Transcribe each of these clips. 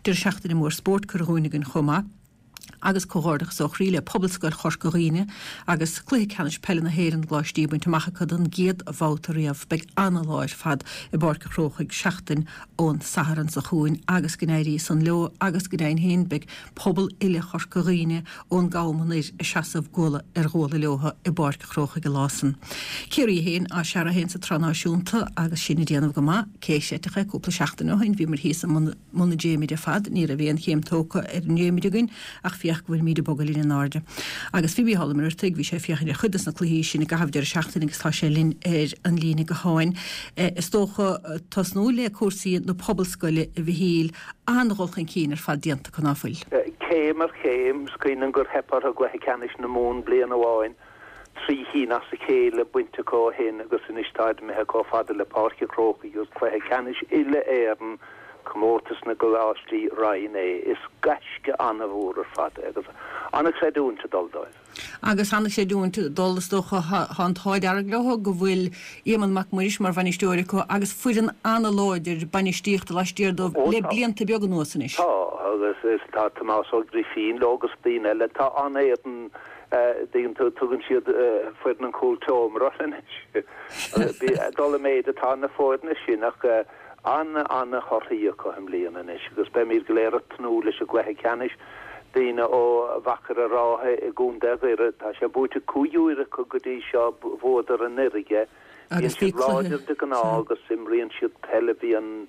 Deireadh seachtaine mór spóirt curtha chugainn againn chomh maith. Agus comhghairdeachas ó chroí le Pobalscoil Chorca Dhuibhne agus Cluiche Ceannais Peile na hÉireann na gColáistí bainte amach acu don gcéad bhabhta riamh. Beidh ana-lá ar fad i bPáirc an Chrócaigh seachtain ón Satharn seo chugainn agus go n-éirí san leo agus go deimhin féin beidh pobal uile Chorca Dhuibhne ón gCam anoir ag seasamh guala ar ghuala leotha i bPáirc an Chrócaigh an lá san. Ciarraí féin á searradh féin sa tSraith Náisiúnta agus sinn ag déanamh go maith, cé chreidfeadh é cúpla seachtain ó shin bhíomar thíos i mbun mbun na dréimire ar fad, ní raibh aon chéim tógtha ar an ndréimire againn ach féach go bhfuilimid ag bogadh linn in airde. Agus bhí Mícheál Ó Muircheartaigh, bhí sé ag féachaint ar chuid des na cluichí sin i gcaitheamh deireadh seachtaine agus tá sé linn ar an líne gutháin. Is dócha tosnú le cúrsaí na Pobalscoile a Mhichíl, an-dhul chun cinn ar fad déanta acu ná fuil? Céim ar chéim, is cuimhin liom gur theip orthu i gcluiche ceannais na Mumhan bliain amháin, 3 chinn as a chéile bainte acu ó shin agus anois táid imithe chomh fada le Páirc an Chrócaigh agus cluiche ceannais uile-Éireann, Comórtas na gColáistí Roinn A. Is gaisce an-mhór ar fad é agus an-chreidiúint ag dul dóibh. Agus an-chreidiúint ag dul, is dócha, tá an t-ádh dearg leo go bhfuil Éamonn Mac Muiris mar bhainisteoir acu agus foireann an-láidir bainistíochta laistiar dóibh le blianta beaga anuas anois. Tá, agus tá Tomás Ó Grifín leo agus daoine eile. Tá an-fhoireann dtuigeann tú, tugann siad foireann an chúltseomra orthu anois. Ag dul i méid atá na foirne sin ach an-an-thorthaí acu i mbliana anois agus beimid go léir ag tnúth leis an gcluiche ceannais. Daoine ó Mhachaire Rátha i gContae Dhoire, tá sé buaite 5 uair acu go dtí seo, bhuadar anuraidh é. Bíonn siad láidir de ghnáth agus imríonn siad peil a bhíonn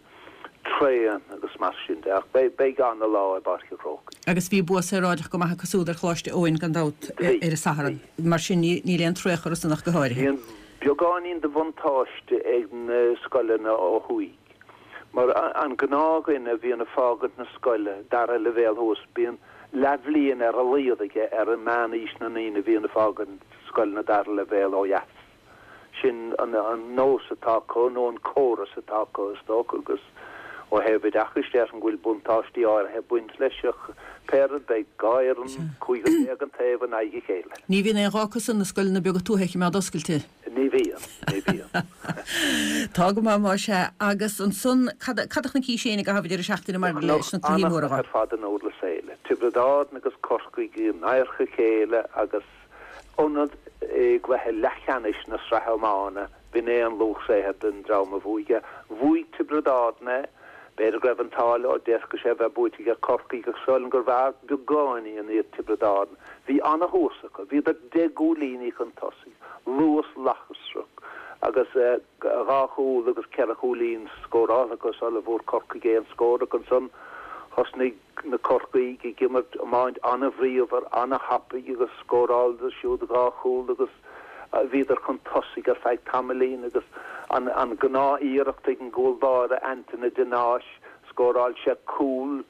tréan agus mar sin de ach beidh ana-lá i bPáirc an Chrócaigh. Agus bhí bua saoráideach go maith acu siúd ar Choláiste Eoin gan dabht ar an Satharn. Mar sin níl aon traochadh orthusan ach go háirithe. Bíonn beagáinín de bhuntáiste ag na scoileanna ó thuaidh mar an gnáthdhuine a bhíonn ag fágaint na scoile dara leibhéal thuas bíonn leathbhliain ar a laghad aige ar meánaois na ndaoine a bhíonn ag fágaint scoileanna dara leibhéal ó dheas. Sin an nós atá acu, nó an córas atá acu, is dócha, agus ó thaobh oideachais déarfainn go bhfuil buntáistí áirithe ag baint leis, ach pé rud, beidh 12 fhoireann, cúigear an taobh in aghaidh a chéile. Ní bhíonn aon ghá acusan na scoileanna beaga tuaithe a choimeád oscailte. Ní bhíonn, ní bhíonn. Tá go maith, más ea. Agus ansan, cad a chonaicis féin i gcaitheamh an deireadh seachtaine maidir leis na cluichí móra? An-chluiche ar fad i nDurlas Éile. Tiobraid Árann agus Corcaigh in adharca a chéile agus ionad i gcluiche leathcheannais na sraithe iomána, b'in é an luach saothair don dream a bhuaigh é. Bhuaigh Tiobraid Árann é. B'fhéidir go raibh an t-ádh leo, d'fhéadfadh sé a bheith buaite ag Corcaigh ach sílim gurbh fhearr beagáinín iad Tiobraid Árann. Bhí ana-thús acu, bhíodar 10 gcúilíní chun tosaigh, luas lasrach agus dhá chúl agus ceithre chúilín scóráilte acu sula bhfuair Corcaigh aon scór ach ansan thosnaigh na Corcaígh ag imirt iomáint an-bhríomhar, an-thapaidh agus scóráladar siúd dhá chúl agus bhíodar chun tosaigh ar feadh tamaillín agus an gnáth-iarracht ag an gcúl báire Antaine de Náis, scóráil sé cúl,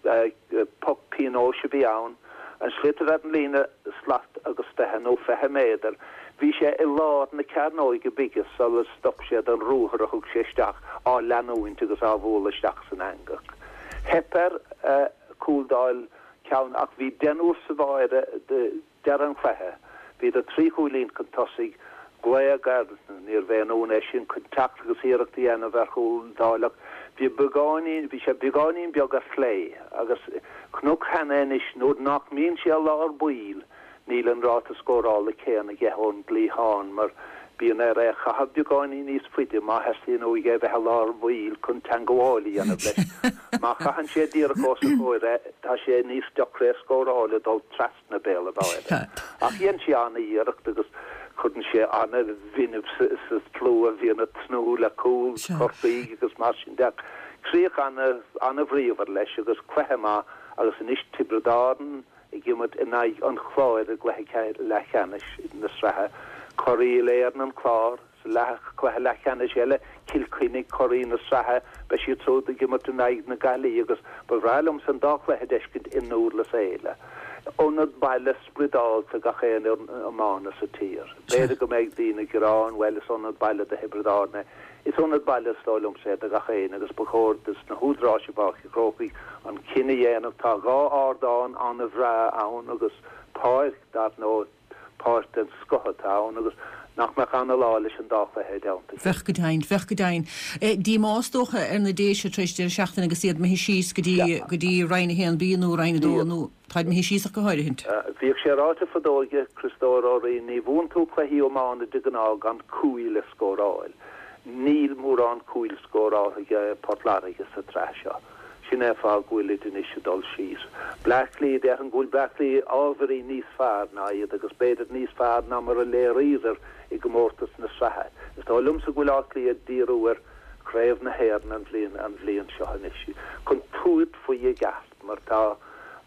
poc pionóis a bhí ann, an sliotar ar an líne slat agus 20 nó 20 méadar. Bhí sé i lár na cearnóige bige sular stop sé den ruathar a thug sé isteach á leanúint agus á bhualadh isteach san eangach. Theip air cúl d'fháil ceann ach bhí deichniúr sa bháire deireadh an chluiche. Bhíodar trí chúilín chun tosaigh. Glaodh air, níorbh aon ionadh é sin, chun teacht agus iarracht a dhéanamh ar chúl d'fháil ach bhí beagáinín, bhí sé beagáinín beag ar chlé agus chonac cheana anois nuair nach mbíonn sé i lár baill, Níl an ráta scórála céanna aige ón gcliathán mar bíonn air é a chaitheamh beagáinín níos faide má theastaíonn uaidh é bheith i lár baill chun teangabháil a dhéanamh leis. Má chaitheann sé díreach os a chomhair é, tá sé níos deacra é a scóráil ag dul trasna béal an bháire. Ach dhein sé an-iarracht agus cuireann sé an-fhuinneamh sa tslua a bhíonn ag tnúth le cúl Chorcaí agus mar sin de. Críoch an-bhríomhar leis agus cluiche maith agus anois Tiobraid Árann, ag imirt in aghaidh an Chláir i gcluiche leathcheannais na sraithe. Curaidh Uile-Éireann an Clár sa leath cluiche leathcheannais eile, Cill Chainnigh, curaidh na sraithe, beidh siad siúd ag imirt in aghaidh na Gaillimhe agus ba bhreá liomsa an dá chluiche a d'fheiscint i nDurlas Éile. Ionad baile spioradálta gach aon fhoireann iomána sa tír. B'fhéidir go mbeidh daoine ag gearán, bhuel is ionad baile do Thiobraid Árann é. Is ionad baile is dóigh liomsa é do gach éinne agus ba chóir dos na húdaráis i bPáirc an Chrócaigh an cinneadh a dhéanamh. Tá 2 ardán an-bhreá ann agus páirc, dar ndóigh. Páirc den scoth atá ann agus nach mbeadh ana-lá leis an dá chluiche i dteannta a chéile. Bheadh go deimhin, bheadh go deimhin. Díomá is dócha ar na Déise tar éis deireadh seachtaine agus iad imithe síos go dtí, go dtí Roinn 1B nó Roinn 2 nó táid imithe síos ach go háirithint. Bhíodh sé ráite fadó ag Criostóir Ó Riain, ní bhuann tú cluichí iomána de ghnáth gan cúil a scóráil. Níl mórán cúil scóráltha ag Port Láirge sa tsraith seo. Sin é an fáth go bhfuilid anois ag dul síos. Bleá Cliath, déarfainn go bhfuil Bleá Cliath ábhairín níos fearr ná iad agus b'fhéidir níos fearr ná mar a léiríodar i gcomórtas na sraithe. Is dóigh liomsa go bhfuil Áth Cliath ag díriú ar Chraobh na hÉireann an bhliain an bhliain seo anois chun tabhairt faoi i gceart mar tá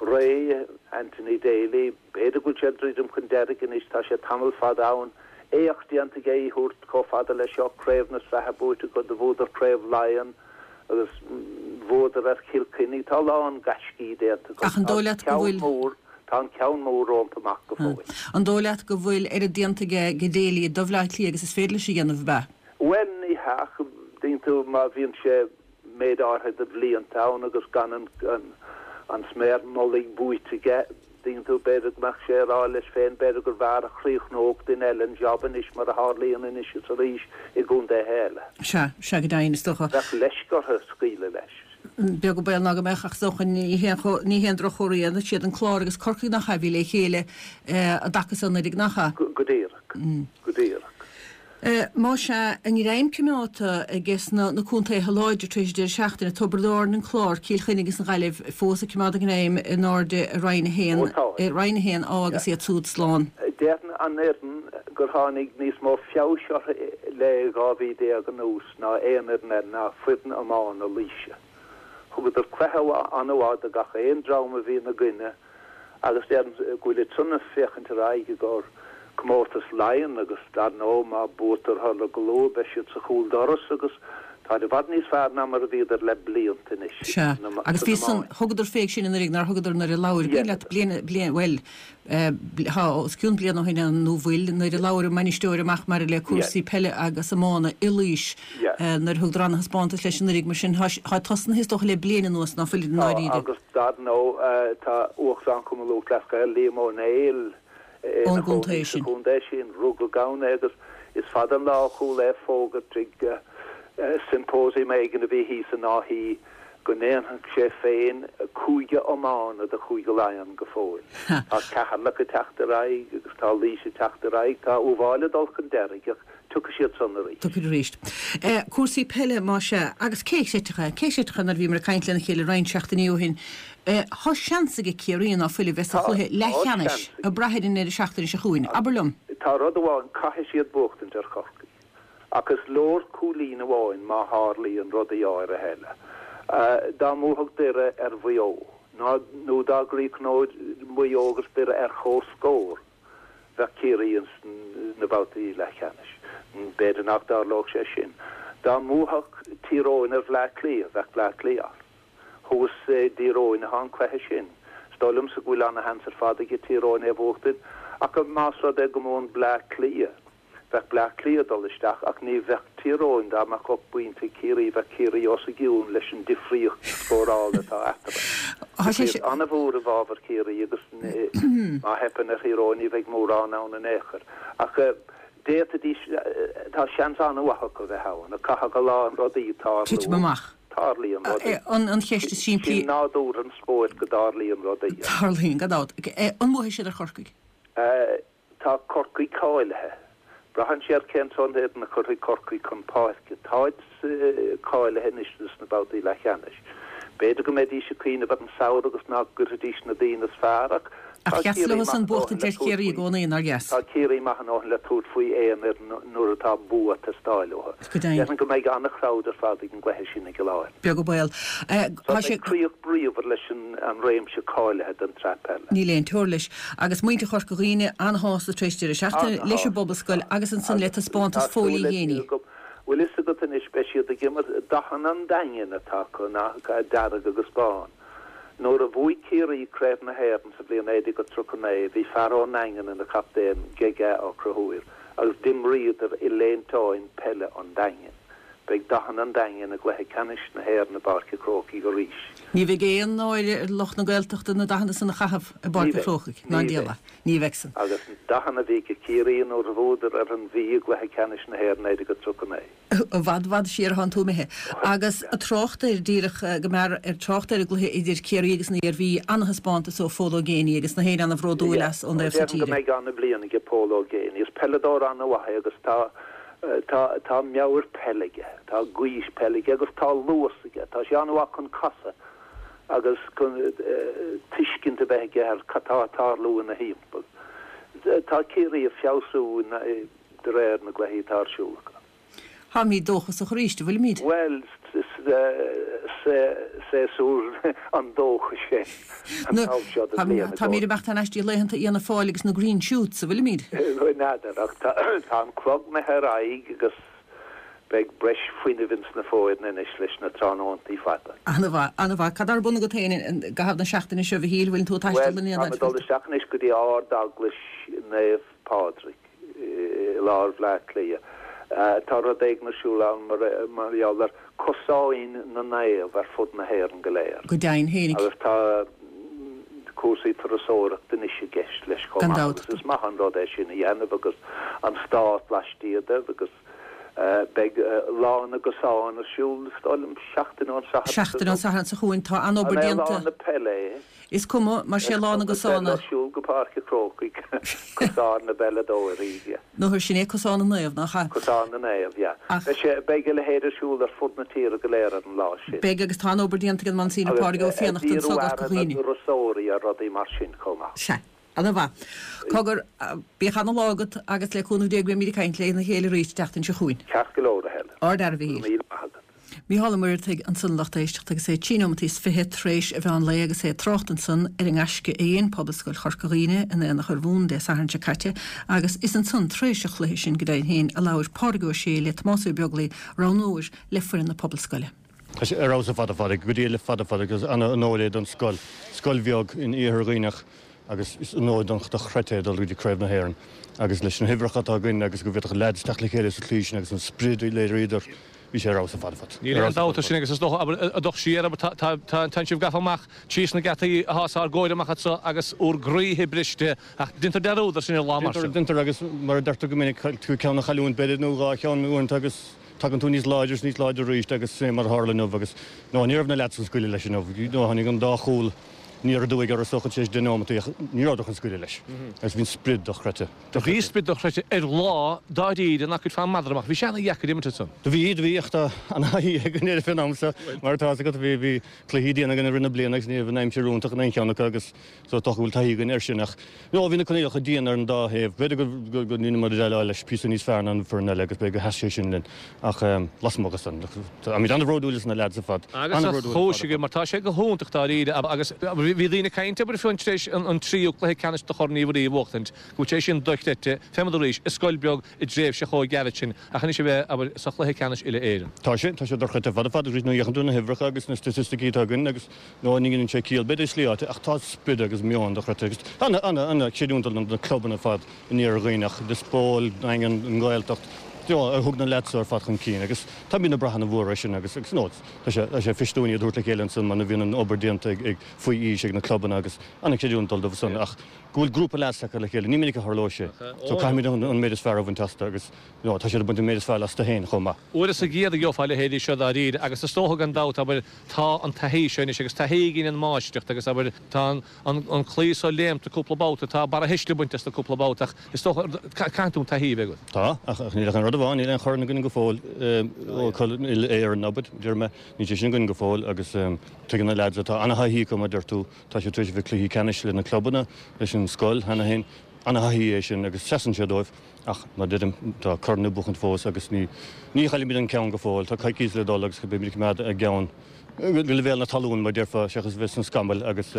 ré Anthony Daly, b'fhéidir go bhfuil sé ag druidim chun deiridh anois, tá sé tamall fada ann, éacht déanta aige í a thabhairt chomh fada leis seo, Craobh na Sraithe buaite acu, do bhuadar Craobh Laighean. agus bhuadar ar Chill Chainnigh. Tá a lán gaiscí déanta acu. Ach an dóigh leat go bhfuil. Mór, tá an ceann mór rompu amach go fóill. An dóigh leat go bhfuil oiread déanta aige ag Daly do Bhleá Cliath agus is féidir leis a dhéanamh, ab ea? Bhuel, ní hea, ach tuigeann tú, má bhíonn sé méid áirithe de bhlianta ann agus gan an, an sméar mullaigh buaite aige, Tuigeann tú, b'fhéidir go mbeadh sé ag rá leis féin, b'fhéidir gurbh fhearr a chríochnódh duine eile an job anois mar a tharlaíonn anois is arís i gcontaetha eile. Sea, sea go deimhin, is dócha. Bheadh leisce orthu scaoileadh leis. Beag an baol ná go mbeadh ach is dócha ní haon ní haon drochchomhartha é. Siad an Clár agus Corcaigh nach ea a bhí le chéile i dtaca san anuraidh, nach ea? Go díreach. Go díreach. Más ea, a ngreim coimeádta aige sna na contaetha láidre tar éis an deireadh seachtaine, Tiobraid Árann, an Clár, Cill Chainnigh agus an Ghaillimh fós ag coimeád a ngreim in airde i Roinn 1, Ó tá. i Roinn 1A agus iad súd slán. Déarfainn an fhoireann gur tháinig níos mó feabhais orthu le 12 mhí anuas ná aon fhoireann eile ná foireann iomána Laoise. Thugadar cluiche an-mhaith do gach aon dream a bhí ina gcoinne Agus déarfainn go bhfuilid san ag féachaint ar aghaidh i gcomhair comórtas Laighean agus dar ndóigh má buaitear orthu go luath beidh siad sa chúl doras agus táid i bhfad níos fearr ná mar a bhíodar le blianta anois Sea, agus bhí san, thugadar féig sin anuraidh nár thugadar nuair a labhair Dhia leat bliain, bliain, bhuel, tá os cionn bliain ó shin nó bhfuil, nuair a labhair an mbainisteoir amach maidir le cúrsaí peile agus iomána i Laois nuair a thugadar ana-thaispeántas leis anuraidh mar sin tá tosnaithe is dócha le bliain anuas ná fuilid i ndáiríre. Tá agus dar ndóigh tá Uachtarán Chumann Lúthchleas Gael, Liam Ó Néill, ina chónaí sa chontae sin. Rugadh ann é agus is fada an lá a chuala é ag fógairt ag symposium éigin a bhí thíos in Áth Í go ndéanfadh sé féin cúige iomána de Chúige Laighean go fóill. Tá Ceatharlach ag teacht ar aghaidh agus tá Laois ag teacht ar aghaidh, tá Uíbh Fhailí ag dul chun deiridh ach Tiocfaidh siad san arís. Tiocfaidh arís. Cúrsaí peile, más ea. Agus cé a chreidfeadh é? Cé a chreidfeadh é nuair a bhíomar ag caint lena chéile roinnt seachtainí ó shin? Tá seans aige Ciarraí ná fuil a bheith sa chluiche leathcheannais ag brath ar an ndeireadh seachtaine seo chugainn. Abair liom. Tá rud amháin, caithfidh siad buachtaint ar Chorcaigh. Ach is leor cúilín amháin má tharlaíonn rudaí áirithe eile. Dá mbuafadh Doire ar Mhaigh Eo, nó dá gcríochnódh Maigh Eo agus Doire ar comhscór, Bheadh Ciarraí ins na babhtaí leathcheannais. B'fhéidir nach dtarlódh sé sin. Dá mbuafadh Tír Eoghain ar Bhleá Cliath, bheadh Bleá Cliath as. Thuas i dTír Eoghain atá an cluiche sin. Is dóigh liomsa go bhfuil ana-sheans ar fad aige Tír Eoghain é a bhuachtaint, ach más rud é go mbuann Bleá Cliath, Bheadh Bleá Cliath ag dul isteach ach ní bheadh Tír Eoghain, dá mbeadh 8 bpointe ag Ciarraí, bheadh Ciarraí os a gcionn leis an difríocht scórála atá eatarthu. Difríocht an-mhór i bhfabhar Chiarraí agus má theipeann ar Thír Eoghain ní bheidh mórán ann in aon chor. Ach d'fhéadfaidís, tá seans an-mhaith acu a bheith ann ach caithfidh a lán rudaí tarlú. Titim amach. Tarlaíonn rudaí. An cheist is simplí. Sin nádúr an spóirt go dtarlaíonn rudaí. Tarlaíonn, gan dabht. An mbuafaidh siad ar Chorcaigh? Tá Corcaigh cáilithe. Braitheann sé ar cén sórt fhoireann a chuirfidh Corcaigh chun páirce. Táid cáilithe anois dos na babhtaí leathcheannais. B'fhéidir go mbeidís ag cuimhneamh ar an samhradh agus nach gcuirfidís na daoine is fearr ach tá Ach dheas Ciarraí leo san maith a ndóthain le buachtaint ar tabhairt Chiarraí i faoi. gcónaí, nár dheas? Tá Ciarraí maith a ndóthain le tabhairt faoi aon fhoireann nuair atá bua ag teastáil uathu. Go deimhin. Déarfainn go mbeidh an-chrowd ar fad ag an gcluiche sin i gCill Airne. Beag an baol. Tá sé. Beidh críoch bríomhar leis an réimse cáilithe don tsraith peile. Níl aon teora leis. Agus muintir Chorca Dhuibhne an-shásta tar éis deireadh seachtaine leis an bPobalscoil agus ansan le taispeántas Phóilí Ghéiní. Bhfuil fhios agat anois, beidh siad ag imirt, dathanna an Daingin atá acu, nach ea, dearg agus bán. Nuair a bhuaigh Ciarraí Craobh na hÉireann sa bhliain 1939, bhí fear ón nDaingean ina chaptaen, Gega Ó Conchúir, agus d'imríodar i léinteáin peile an Daingin. Beidh dathanna an Daingin i gcluiche ceannais na hÉireann i bPáirc an Chrócaigh arís. Ní bheidh aon náire ar lucht na Gaeltachta na dathanna san a chaitheamh i Ní bPáirc an bheidh. Chrócaigh, ná Ní diabhal bheidh. é. Ní bheidh san. Agus na dathanna a bhí ag Ciarraí nuair a bhuadar ar an Mhí i gcluiche ceannais na hÉireann 1939. I bhfad, bhfad siar atánn tú imithe. Agus ag trácht air, díreach go mear, ag trácht ar an gcluiche idir Ciarraí agus an Iarmhí, ana-thaispeántas ó Phól Ó Géibheannaigh agus na héinne ana-bhródúil Yeah. as ón dtaobh so Déarfainn go tíre. mbeidh ana-bhliain aige Pól Ó Géibheannaigh. Is peileadóir ana-mhaith é agus tá Tá, tá meabhair peile aige, tá gaois peile aige agus tá luas aige. Tá sé an-mhaith chun casadh agus chun tuiscint a bheith aige ar cad tá ag tarlú ina thimpeall. Tá Ciarraí ag feabhsú de réir na gcluichí atá ar siúl acu. Táimid dóchasach arís, an bhfuilimid? Bhuel, séasúr an dóchais é an t-am seo den bhliain i Táimid ag imeacht thar n-ais dtí laethanta Fhianna Fáil agus na Green Shoots, an bhfuilimid? N'fheadar, ach tá an clog imithe ar aghaidh agus beidh breis fuinnimh ins na foirne anois leis na tráthnóntaí fada. Ana-mhaith, ana-mhaith. Cad tá ar bun agat féin i gcaitheamh na seachtaine seo, a Mhichíl? Bhfuileann tú ag taisteal Bhuel, táim ag dul isteach anois go dtí Ard-Eaglais Naomh Pádraig. i lár Bhleá Cliath. Tá rud éigin ar siúl ann mar gheall ar cosáin na naomh ar fud na hÉireann go léir. Go deimhin féinig. Agus tá cúrsaí turasóireachta anois i gceist leis chomh Gan maith dabht. agus is maith an rud é sin a dhéanamh agus an stát laistiar de agus beidh Lá na gCosán ar siúl is dóigh liom seachtain ón Satharn. Seachtain ón Satharn seo chugainn. Tá an-obair An é déanta. Lá na Peile é? Is cuma, mar sé Lá na gCosán é. Ag siúl go Páirc an Chrócaigh, Cosán na bPeileadóirí, yeah. Nó sin é Cosán na Naomh, nach ea? Cosán na Naomh, yeah. Ach. Beidh sé, beidh a leithéid ar siúl ar fud na tíre go léir ar an lá sin. Beidh, agus tá an-obair déanta ag an Monsignor Agus Pádraig Ó ag Fiannachta díriú anso i gCorca aire na Dhuibhne. dturasóirí ar rudaí mar sin chomh maith. Sea. Ana-mhaith. Cogar, bíodh ana-lá agat agus le cúnamh Dé go mbeimid ag caint lena chéile arís an tseachtain seo chugainn. Ceart go leor, a Helen. Ard-fhear a Go Mhichíl. raibh míle maith agat. Mícheál Ó Muircheartaigh ansan a lucht éisteachta agus é trí nóimeataí is fiche tar éis an mheán lae agus é ag trácht ansan ar an ngaisce a dhein Pobalscoil Chorca Dhuibhne in Aonach Urmhumhan Dé Sathairn seo caite agus is ansan tar éis an chluiche sin go deimhin féin a labhair Pádraig Ó Sé le Tomás Ó Beaglaoi roghnóir le foireann na Pobalscoile. Tá sé ar fheabhas ar fad ar fad, go dtí le fada fada agus an-onóir é don scoil, scoil bheag in iarthar Dhuibhneach agus is onóir dochreidte é dul go dtí Craobh na hÉireann agus leis na huimhreacha atá againn agus go bhféadfadh leaids teacht le chéile sa tslí sin agus an sprid a léiríodar Bhí sé ar fheabhas ar fad ar fad. Níl aon dabht ar sin agus is dócha, abair, ag dul siar, abair, tá, tá, tá, tánn sibh gafa amach síos na geataí athá os ár gcomhair amach anso agus úr gcroíthe briste ach deintear dearúd ar sin ar lá mar Deintear, sin. deintear agus mar a deirtear go minic, cailleann tú ceann a chailliúint b'fhéidir nó dhá cheann uaireanta agus tagann tú níos láidre is níos láidre arís agus sin é mar a tharla inniu agus no ní raibh na leaids chun scaoileadh leis inniu. No tháinig an dá chúl aniar aduaidh orthu is dócha tar éis deich nóimeataí ach ní rabhadar chun scaoileadh leis agus bhí an sprid dochreidte. Do bhí sprid dochreidte ar lá dáiríre nach gcuirfeá madra amach. Bhí sé ana-dheacair imirt ansan. Do bhí, do bhí, ach tá ana-thaithí againn air fén am seo, mar atá fhios agat. Bhí, bhí cluichí diana againn i rith na bliana agus ní raibh an aimsir iontach in aon cheann acu agus so is dócha go bhfuil taithí againn air sin ach, no, bhí na coinníollacha dian ar an dá thaobh. B'fhéidir go, go, go ndeineamar déileáil leis píosa níos fearr ná an foireann eile agus b'fhéidir gur sheas sé sin linn ach lasmuigh de san, táimid an-bhródúil as na leaids ar fad, Agus a an-bhródúil ar fad chúis ar agaibh fad. mar tá sé go hiontach dáiríre agus bhí daoine ag caint, abair, fiú tar éis an tríú cluiche ceannais de Chorn Uí Mhuirí a bhuachtaint, go bhfuil sé sin dochreidte, fé mar arís, i scoil beag i dtréimhse chomh gairid sin, ach anois a bheith, abair, sa chluiche ceannais uile-Éireann. Tá sé, tá sé dochreidte ar fad ar fad, agus nuair a fhéachann tú ar na huimhreacha agus na staitisticí atá againn agus nó ní dhéanann sé ciall, b'fhéidir i slí áite, ach tá sprid agus meon dochreidte agus ana, ana, ana chreidiúint do na clubanna ar fad in Iarthar Dhuibhneach, Lios Póil, Daingean, an Ghaeltacht, you know, a thug na leaids seo ar fad chun cinn agus táimid ag brath ana-mhór air sin agus, agus, you know, tá sé, tá sé fuirist dúinn iad a thabhairt le chéile ansan mar bhíonn an obair déanta ag, ag, faoi aois ag na clubanna agus ana chreidiúint dul dóibh san ach go bhfuil grúpa leaids tagtha le chéile, ní minic a tharlóidh sé. So caithfimid an méid is fearr a bhaint astu agus you know tá siad ag baint an méid is fearr astu féin chomh maith. Uair sa gcéad a gheofá a leithéidí seo dáiríre agus is dócha gan dabht, abair, tá an taithí seo anois agus taithí a ghineann máistreacht agus, abair, tá an claí so léimte cúpla babhta, tá barrathuisle bainte astu cúpla babhta ach is dócha, caithfidh tú an taithí a bheith agat. Tá, ach níl ach aon rud amháin, níl aon chorn againn go fóill ó Uile-Éireann, abair, deir mé, níl sé sin againn go fóill agus tuigeann na leaids atá ana-thaithí acu mar a deir tú, Tá siad tar éis a bheith cluichí ceannais le na clubanna, leis an scoil cheana féin. Ana-thaithí é sin agus seasann sé dóibh ach, mar a deirim, tá corn le buachaint fós agus ní ní chaillfimid an ceann go fóill. Tá coicís le dul agus beimid ag coimeád a gceann. Go leibhéal na talún, mar a déarfá, seachas a bheith sna scamaill agus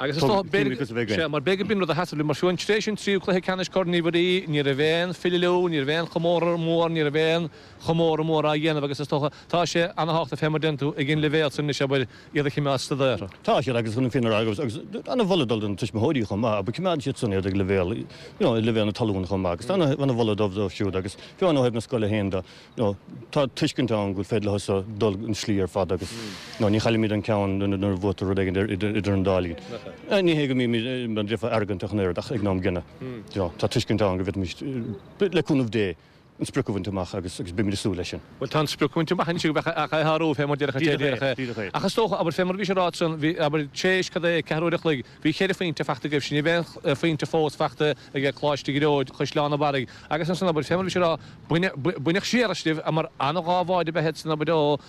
Agus is dócha, b'fhéidir, sea, mar b'fhéidir b'in rud a sheasamh linn, mar fiú amháin tar éis an tríú cluiche ceannais Corn Uí Mhuirí, ní raibh aon filleadh, ní raibh aon chomóradh mór, ní raibh aon chomóradh mór á dhéanamh agus is dócha, tá sé ana-thábhachtach fé mar a deireann tú, ag an leibhéal san anois, abair, iad a choimeád stad orthu. Tá siad, agus chun an fírinne a rá, agus, agus ana-mholadh dul do na tuismitheoirí chomh maith, abair, coimeádann siad san iad ag leibhéal, you know, ag leibhéal na talún chomh maith, agus tá ana, ana-mholadh dóibh dóibh siúd, agus fiú amháin ó thaobh na scoile féin de, nó tá tuiscint ann go bhfuil féidir leo so dul an slí ar fad agus nó ní chaillimid an ceann nuair a bhuaitear rud éigin idir an dá linn. Ní hé go mbímid mar a déarfá arrogant ach an oiread ach ag an am gcéanna tá tuiscint ann go bhféadfaimis, le cúnamh Dé, an sprioc a bhaint amach agus agus beimid ag súil leis sin. Bhuel tá an sprioc bainte amach anois agaibh ach é a shárú fé mar déarfadh an té a déarfadh é. Ach is dócha, abair, fé mar a bhís ag rá ansan, bhí, abair, tar éis, cad é, ceathrú uair a chloig, Bhí cheithre phointe fachta agaibhse, ní raibh aon phointe fós fachta ag Coláiste Ghearóid, Chaisleán an Bharraigh agus ansan abair, fé mar a bhís ag rá, baineadh siar asaibh mar ana-dhá bháide ab ea iad san abair ó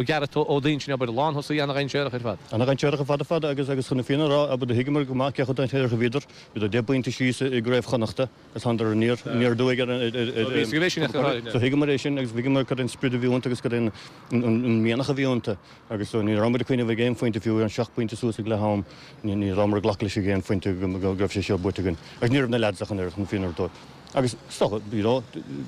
Ghearóid Ó Duinnshléibhe abair, lántosaí ana-dhainséarach ar fad. Ana-dhainséarach ar fad ar fad agus agus chun na fírinne a rá abair do thuigeamar go maith cé chomh dainséarach a bhíodar, bhíodar 10 bpointe síos i gCraobh Chonnachta agus thánadar aniar aniar aduaidh ar an ar So thuigeamar é sin agus thuigeamar cad é an sprid a bhí iontu agus cad é an an mianach a bhí iontu. Agus ní raibh muid ag cuimhneamh ag aon phointe, fiú an seacht bpointe suas ag leath am, ní rabhamar ag glacadh leis ag aon phointe go raibh sé seo buaite againn. Agus ní raibh na leaids ach an oiread chun fírinne a rá. Agus is dócha, you know,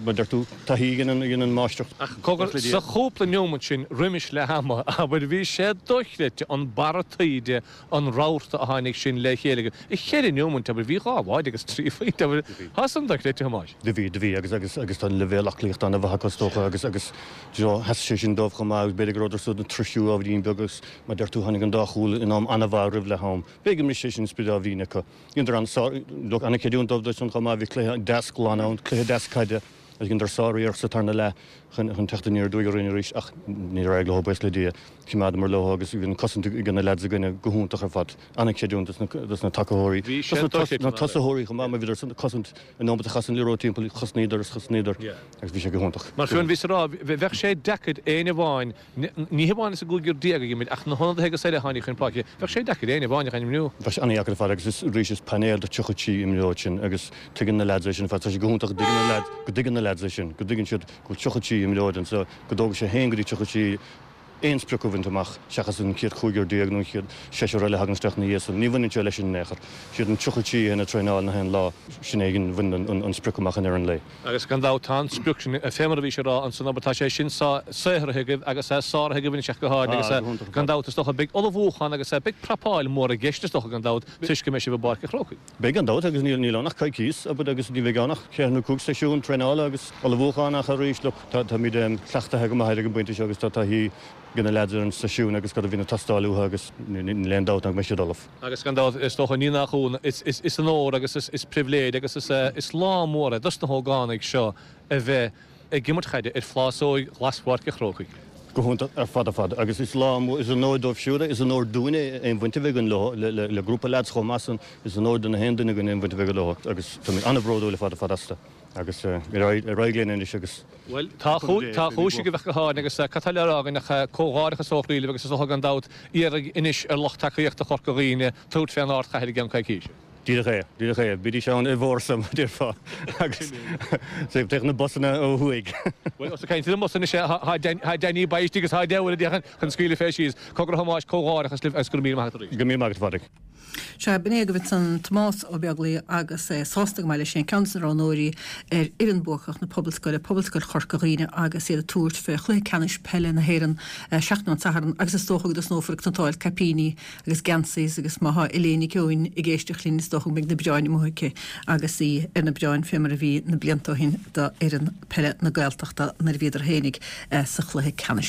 mar deir tú, taithí a dhéanann an máistreacht. Ach cogar, sa chúpla neomat sin roimis leath ama, abair, bhí sé dochreidte an barra taoide, an rabharta a tháinig sin le chéile. I cheithre neomant, abair, bhí dhá bháide agus trí phointe, abair, tá san dochreidte, a Thomáis. Do bhí, do bhí, agus, agus, agus tá an leibhéal aclaíochta ana-mhaith acu is dócha agus, agus, do you know, sheas sé sin dóibh chomh maith agus b'fhéidir go rabhadar san ag tuirsiú ábhairín beag agus mar deir tú tháinig an dá chúl in am ana-mhaith roimh leath am. B'fhéidir go mbris sé sin sprid ábhairín acu. Dheineadar an-sár, look, ana-chreidiúint dóibh dó san chomh maith, bhí cluiche deas glan ann, cluiche deas caide agus dheineadar sár-iarracht sa tarna leath chun, chun teacht aniar aduaidh orainn arís ach níor éirigh leo, buíochas le Dia. Choimeádamar leo agus bhí an cosaint ag na leaids againne go hiontach ar fad. An-chreidiúint dos na tacaitheoirí, dos na tosaitheoirí chomh maith mar bhíodar ag cosaint an nóiméad a chas an liathróid timpeall, chosnaíodar is chosnaíodar agus bhí sé go hiontach. Mar fiú bhíos ag rá, bheadh sé deacair éinne amháin, ní hamháin as an gcúigear déag a d'imir ach na hionadaithe agus eile a tháinig chun páirce, bheadh sé deacair éinne amháin a ainmniú. Bheadh sé an-dheacair ar fad agus is arís is painéal de 33 imreoir sin agus tuigeann na leaids é sin ar fad. Tá sé go hiontach go dtuigeann na leaids, go dtuigeann na leaids é sin, go dtuigeann siad go bhfuil 33 imreoir anseo, go dtógfaidh sé haon go dtí 33 aon sprioc a bhaint amach seachas an chéad chúigear déag nó an chéad seisear eile a thagann isteach ina dhiaidh san. Ní bhaineann sé leis sin in aon chor. Siad an 33 a théann ag traenáil na haon lá, sin é a bhaineann an sprioc amach i ndeireadh an lae. Agus gan dabht tá an sprioc sin, fé mar a bhís ag rá ansan, abair, tá sé sin saothraithe agaibh agus sáraithe agaibh anois ach go háirithe agus gan dabht is dócha beidh ullmhúchán agus beidh prapáil mhór i gceist is dócha gan dabht toisc go mbeidh sibh i bPáirc an Chrócaigh. Beidh gan dabht agus níl ann ach coicíos, abair, agus ní bheidh ann ach ceithre nó cúig seisiún traenála agus ullmhúcháin ach arís, look, táimid cleachtaithe go maith air ag an bpointe seo agus tá taithí ag na leaids ar an seisiún agus cad a bhíonn ag teastáil uathu agus níl aon dabht ná go mbeidh siad ullamh. Agus gan dabht, is dócha, ní nach ionadh, is onóir agus is pribhléid agus is lá mór é dos na hógánaigh seo a bheith ag imirt chaide ar phlásóig ghlas Pháirc an Chrócaigh. Go hiontach ar fad ar fad agus is lá mór, is onóir dóibh siúd é, is onóir dúinn é aon bhaint a bheith againn leo, le grúpa leaids chomh maith san, is onóir do na haon duine againn aon bhaint a bheith leo agus táimid an-bhródúil ar fad ar fad astu agus ar aghaidh linn anois agus Bhuel, tá cúis agaibh ach go háirithe agus cad tá le rá againn ach comhghairdeachas ó chroí libh agus is dócha gan dabht iarraidh anois ar lucht tacaíochta Chorca Dhuibhne tabhairt fén ardchathair i gceann coicíse. Díreach é, díreach é. Bídís ann i bhfórsa, mar a déarfá, agus téann na busanna ó thuaidh. Bhuel, ós ag caint ar na mbusanna anois, tá Danny Bay istigh agus tá deabhal a déarfainn chun scaoileadh fé síos. Cogar a Thomáis, comhghairdeachas libh agus go raibh míle maith agat arís. Go raibh míle maith agat, a Phádraig. Sea, b'in é agaibh ansan Tomás Ó Beaglaoi agus é sásta go maith leis féin, ceann de na roghnóirí ar fhoireann buacach na Pobalscoile, Pobalscoil Chorca Dhuibhne agus iad ag tabhairt fé chluiche ceannais peile na hÉireann seachtain ón Satharn agus is dócha go dtosnófar ag tointeáil caipíní agus geansaithe agus má thá Elaine Nic Eoin ag éisteacht linn is dócha go mbeidh na bioráin amuigh aici agus í ar na bioráin fé mar a bhí na blianta ó shin do fhoireann peile na Gaeltachta nuair a bhíodar fhéinig sa chluiche ceannais.